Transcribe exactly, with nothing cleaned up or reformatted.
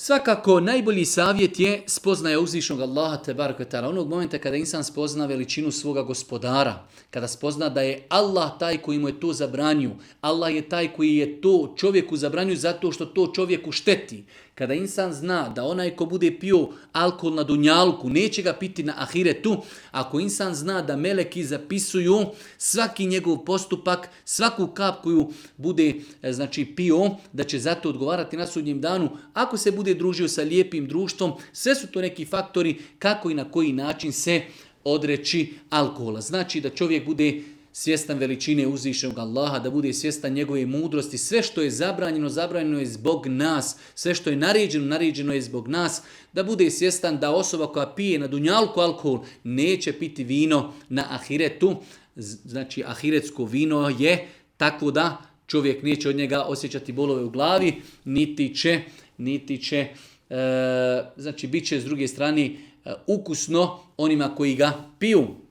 Svakako, najbolji savjet je spoznaja uzvišnog Allaha tebareke ve taala. Onog momenta kada insan spozna veličinu svoga gospodara, kada spozna da je Allah taj koji mu je to zabranio, Allah je taj koji je to čovjeku zabranio zato što to čovjeku šteti. Kada insan zna da onaj ko bude pio alkohol na dunjalku, neće ga piti na ahiretu, ako insan zna da meleki zapisuju svaki njegov postupak, svaku kap koju bude znači, pio, da će zato odgovarati na sudnjem danu, ako se bude družio sa lijepim društvom, sve su to neki faktori kako i na koji način se odreći alkohola. Znači da čovjek bude svjestan veličine uzvišenog Allaha, da bude svjestan njegove mudrosti. Sve što je zabranjeno, zabranjeno je zbog nas. Sve što je naređeno, naređeno je zbog nas. Da bude svjestan da osoba koja pije na dunjalku alkohol neće piti vino na ahiretu. Znači ahiretsko vino je tako da čovjek neće od njega osjećati bolove u glavi, niti će, niti će e, znači bit će s druge strane e, ukusno onima koji ga piju.